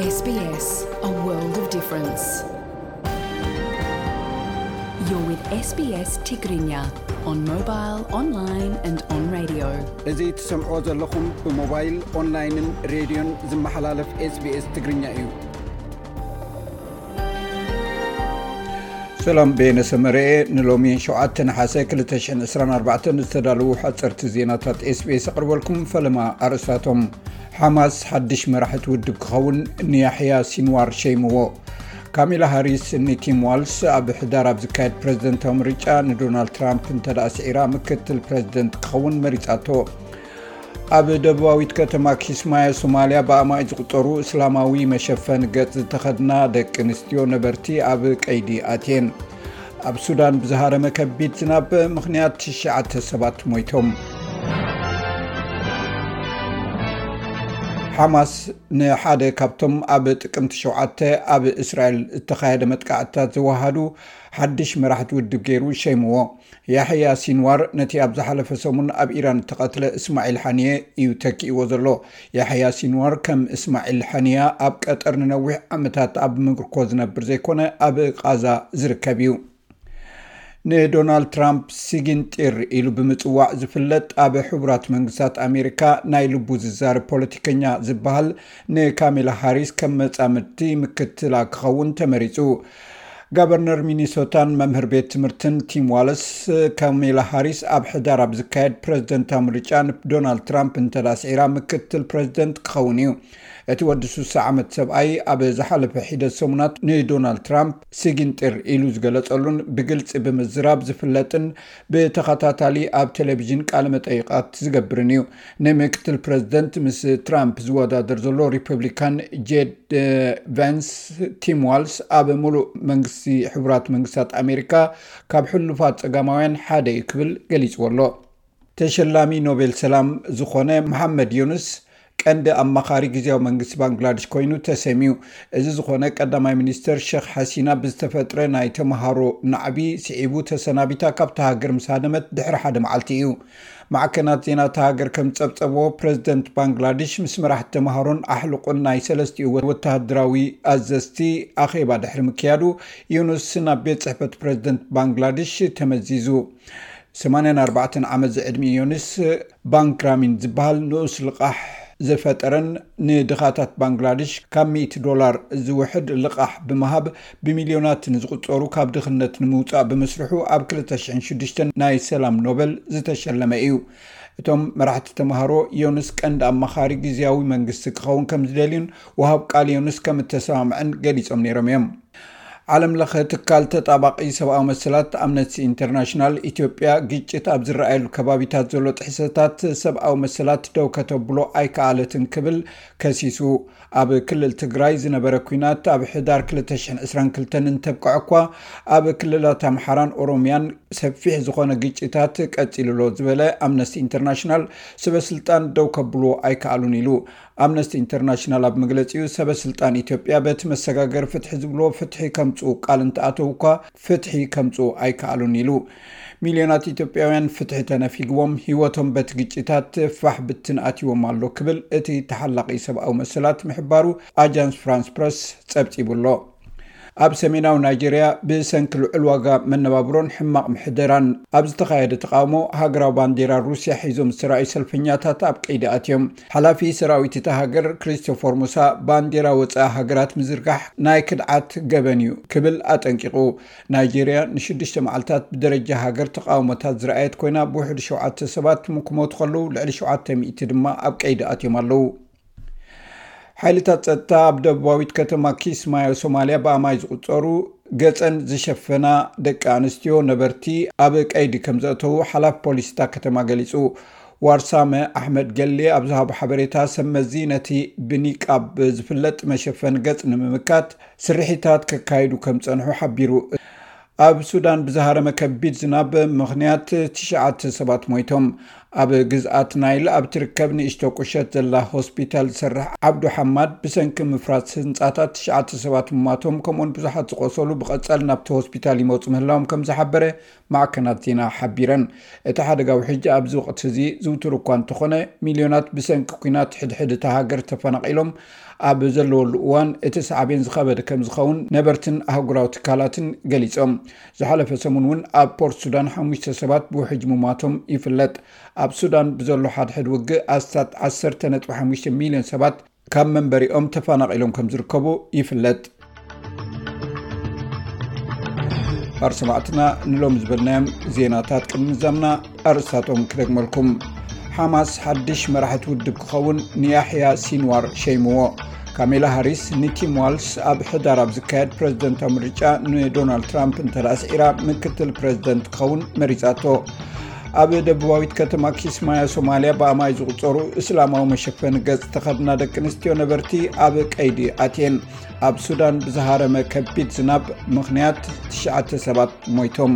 S B S, a world of difference. You're with S B S Tigrinya on mobile, online and on radio. እዚ ትሰምዕዎ ዘለኹም ብሞባይል፣ ኦንላይንን ሬድዮን ዝመሓላለፍ SBS ትግርኛ እዩ። ሰላም፣ በየነ ሰመረ። ንሎሚ ሸውዓተ ነሓሰ ክልተ ሽሕን ዕስራን ኣርባዕተን ዝተዳለዉ ሓፀርቲ ዜናታት SBS ኣቕርበልኩም። ፈለማ ኣርእስታቶም። ሓማስ ሓድሽ መራሕቲ ውድብ ክኸውን ንያሕያ ሲንዋር ሸይምዎ። ካሚላ ሃሪስ ንቲም ዋልስ ኣብ ሕዳር ኣብ ዝካየድ ፕረዚደንታዊ ምርጫ ንዶናልድ ትራምፕ እንተደኣ ስዒራ ምክትል ፕረዚደንት ክኸውን መሪጻቶ። ኣብ ደቡባዊት ከተማ ኪስማዮ ሶማልያ ብኣማኢት ዝቑጸሩ እስላማዊ መሸፈኒ ገጽ ዝተኸድና ደቂ ኣንስትዮ ነበርቲ ኣብ ቀይዲ ኣትየን። ኣብ ሱዳን ብዝሃረመ ከቢድ ዝናብ ምኽንያት ትሽዓተ ሰባት ሞይቶም። ሓማስ ንሓደ ካብቶም ኣብ ጥቅምቲ ሸውዓተ ኣብ እስራኤል ዝተኻየደ መጥቃዕትታት ዘወሃዱ ሓድሽ መራሕቲ ውድብ ገይሩ ሸይምዎ። ያሕያ ሲንዋር ነቲ ኣብ ዝሓለፈ ሰሙን ኣብ ኢራን እተቐትለ እስማዒል ሓኒየ እዩ ተኪእዎ ዘሎ። ያሕያ ሲንዋር ከም እስማዒል ሓኒያ ኣብ ቀጠር ንነዊሕ ዓመታት ኣብ ምርኮ ዝነብር ዘይኮነ፣ ኣብ ቃዛ ዝርከብ እዩ። ንዶናልድ ትራምፕ ሲጊንጢር ኢሉ ብምጽዋዕ ዝፍለጥ፣ ኣብ ሕቡራት መንግስታት ኣሜሪካ ናይ ልቡ ዝዛረብ ፖለቲከኛ ዝበሃል፣ ንካሜላ ሃሪስ ከም መጻምድቲ ምክትላ ክኸውን ተመሪጹ። ጋቨርነር ሚኒሶታን መምህር ቤት ትምህርትን ቲም ዋለስ፣ ካሜላ ሃሪስ ኣብ ሕዳር ኣብ ዝካየድ ፕረዚደንታዊ ምርጫ ንዶናልድ ትራምፕ እንተዳ ስዒራ ምክትል ፕረዚደንት ክኸውን እዩ። እቲ ወዲ ስሳ ዓመት ሰብኣይ ኣብ ዝሓለፈ ሒደት ሰሙናት ንዶናልድ ትራምፕ ስጊንጢር ኢሉ ዝገለጸሉን ብግልጺ ብምዝራብ ዝፍለጥን ብተኸታታሊ ኣብ ቴሌቪዥን ቃለ መጠይቓት ዝገብርን እዩ። ንምክትል ፕረዚደንት ምስ ትራምፕ ዝወዳደር ዘሎ ሪፐብሊካን ጄድ ቨንስ፣ ቲም ዋልስ ኣብ ሙሉእ መንግስቲ ሕቡራት መንግስታት ኣሜሪካ ካብ ሕሉፋት ጸጋማውያን ሓደ እዩ ክብል ገሊጽዎ ኣሎ። ተሸላሚ ኖቤል ሰላም ዝኾነ መሓመድ ዩኑስ ቀንዲ ኣማኻሪ ግዝያዊ መንግስቲ ባንግላዴሽ ኮይኑ ተሰምዩ። እዚ ዝኾነ ቀዳማይ ሚኒስተር ሸኽ ሓሲና ብዝተፈጥረ ናይ ተምሃሮ ናዕቢ ስዒቡ ተሰናቢታ ካብታ ሃገር ምስ ሃደመት ድሕሪ ሓደ መዓልቲ እዩ። ማዕከናት ዜና እታ ሃገር ከም ዝጸብጸብዎ፣ ፕረዚደንት ባንግላዴሽ ምስ መራሕቲ ተምሃሮን ኣሕልቑን ናይ ሰለስቲኡ ወተሃደራዊ ኣዘዝቲ ኣኼባ ድሕሪ ምክያዱ፣ ዩኑስ ናብ ቤት ጽሕፈት ፕረዚደንት ባንግላዴሽ ተመዚዙ። ሰማንያን ኣርባዕተን ዓመት ዝዕድሚ ዮኒስ ባንክራሚን ዝበሃል ንኡስ ልቓሕ ዝፈጠረን ንድኻታት ባንግላዴሽ ካብ ሚእቲ ዶላር ዝውሕድ ልቓሕ ብምሃብ ብሚልዮናት ንዝቑጸሩ ካብ ድኽነት ንምውጻእ ብምስርሑ ኣብ ክልተ ሽሕን ሽዱሽተን ናይ ሰላም ኖበል ዝተሸለመ እዩ። እቶም መራሕቲ ተምሃሮ ዮኑስ ቀንዲ ኣማኻሪ ግዝያዊ መንግስቲ ክኸውን ከም ዝደልዩን ወሃብ ቃል ዮኑስ ከም እተሰማምዐን ገሊጾም ነይሮም እዮም። ዓለም ለኸ ትካል ተጣባቒ ሰብኣዊ መሰላት ኣምነስቲ ኢንተርናሽናል፣ ኢትዮጵያ ግጭት ኣብ ዝረኣየሉ ከባቢታት ዘሎ ጥሕሰታት ሰብኣዊ መሰላት ደው ከተብሎ ኣይከኣለትን ክብል ከሲሱ። ኣብ ክልል ትግራይ ዝነበረ ኲናት ኣብ ሕዳር ክልተ ሽሕን ዕስራን ክልተን እንተብቅዐ እኳ፣ ኣብ ክልላት ኣምሓራን ኦሮምያን ሰፊሕ ዝኾነ ግጭታት ቀጺሉ ኣሎ ዝበለ ኣምነስቲ ኢንተርናሽናል፣ ሰበ ስልጣን ደው ከብልዎ ኣይከኣሉን ኢሉ። ኣምነስቲ ኢንተርናሽናል ኣብ መግለጺኡ፣ ሰበ ስልጣን ኢትዮጵያ በቲ መሰጋገሪ ፍትሒ ዝብልዎ ፍትሒ ከምጽኡ ቃል እንተኣተው እኳ፣ ፍትሒ ከምጽኡ ኣይከኣሉን ኢሉ። ሚልዮናት ኢትዮጵያውያን ፍትሒ ተነፊግዎም፣ ህይወቶም በቲ ግጭታት ፋሕ ብትን ኣትይዎም ኣሎ ክብል እቲ ተሓላቒ ሰብኣዊ መሰላት ምሕባሩ ኣጃንስ ፍራንስ ፕረስ ጸብጺቡ ኣሎ። ኣብ ሰሜናዊ ናይጄርያ ብሰንኪ ልዑል ዋጋ መነባብሮን ሕማቕ ምሕደራን ኣብ ዝተኻየደ ተቓውሞ፣ ሃገራዊ ባንዴራ ሩስያ ሒዞም ዝተራእዩ ሰልፈኛታት ኣብ ቀይዲ ኣትዮም። ሓላፊ ሰራዊት እታ ሃገር ክሪስቶፈር ሙሳ፣ ባንዴራ ወጻኢ ሃገራት ምዝርጋሕ ናይ ክድዓት ገበን እዩ ክብል ኣጠንቂቑ። ናይጄርያ ንሽዱሽተ መዓልታት ብደረጃ ሃገር ተቓውሞታት ዝረኣየት ኮይና፣ ብውሕዱ ሸውዓተ ሰባት ክሞቱ ከለዉ፣ ልዕሊ ሸውዓተ ሚእቲ ድማ ኣብ ቀይዲ ኣትዮም ኣለዉ። ሓይልታት ጸጥታ ኣብ ደቡባዊት ከተማ ኪስማዮ ሶማልያ ብኣማይ ዝቑጸሩ ገጸን ዝሸፈና ደቂ ኣንስትዮ ነበርቲ ኣብ ቀይዲ ከም ዘእተዉ ሓላፊ ፖሊስ እታ ከተማ ገሊጹ። ዋርሳመ ኣሕመድ ገሌ ኣብ ዝሃቦ ሓበሬታ፣ ሰብ መዚ ነቲ ብኒቃብ ዝፍለጥ መሸፈኒ ገጽ ንምምካት ስርሒታት ከካይዱ ከም ጸንሑ ሓቢሩ። ኣብ ሱዳን ብዝሃረመ ከቢድ ዝናብ ምኽንያት ትሽዓተ ሰባት ሞይቶም። ኣብ ግዝኣት ናይል ኣብ ትርከብ ንእሽቶ ቁሸት ዘላ ሆስፒታል ዝሰርሕ ዓብዱ ሓማድ፣ ብሰንኪ ምፍራስ ህንጻታት ትሽዓተ ሰባት ምማቶም፣ ከምኡውን ብዙሓት ዝቆሰሉ ብቐጻሊ ናብቲ ሆስፒታል ይመጹ ምህላዎም ከም ዝሓበረ ማዕከናት ዜና ሓቢረን። እቲ ሓደጋ ውሕጅ ኣብዚ ወቕቲ እዚ ዝውቱር እኳ እንተኾነ፣ ሚልዮናት ብሰንኪ ኲናት ሕድሕድ እታ ሃገር ተፈናቒሎም ኣብ ዘለወሉ እዋን፣ እቲ ሳዕቤን ዝኸበደ ከም ዝኸውን ነበርትን ኣህጉራዊ ትካላትን ገሊጾም። ዝሓለፈ ሰሙን እውን ኣብ ፖርት ሱዳን ሓሙሽተ ሰባት ብውሕጅ ምማቶም ይፍለጥ። ኣብ ሱዳን ብዘሎ ሓድሕድ ውግእ ኣስታት ዓሰርተ ነጥቢ ሓሙሽተ ሚልዮን ሰባት ካብ መንበሪኦም ተፈናቒሎም ከም ዝርከቡ ይፍለጥ። ባር ሰማዕትና ንሎም ዝበልናዮም ዜናታት ቅድሚ ምዛምና ኣርእስታቶም ክደግመልኩም። ሓማስ ሓድሽ መራሕቲ ውድብ ክኸውን ንያሕያ ሲንዋር ሸይምዎ። ካሜላ ሃሪስ ንቲም ዋልስ ኣብ ሕዳር ኣብ ዝካየድ ፕረዚደንታዊ ምርጫ ንዶናልድ ትራምፕ እንተ ደኣ ስዒራ ምክትል ፕረዚደንት ክኸውን መሪጻቶ። ኣብ ደቡባዊት ከተማ ኪስማያ ሶማልያ ብኣማይ ዝቑጸሩ እስላማዊ መሸፈኒ ገጽ ተኸድና ደቂ ኣንስትዮ ነበርቲ ኣብ ቀይዲ ኣትየን። ኣብ ሱዳን ብዝሃረመ ከቢድ ዝናብ ምኽንያት ትሽዓተ ሰባት ሞይቶም።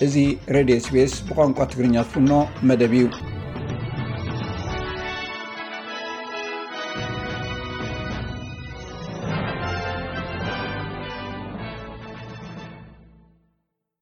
እዚ ሬድዮ ኤስቢኤስ ብቋንቋ ትግርኛ ዝፍኖ መደብ እዩ።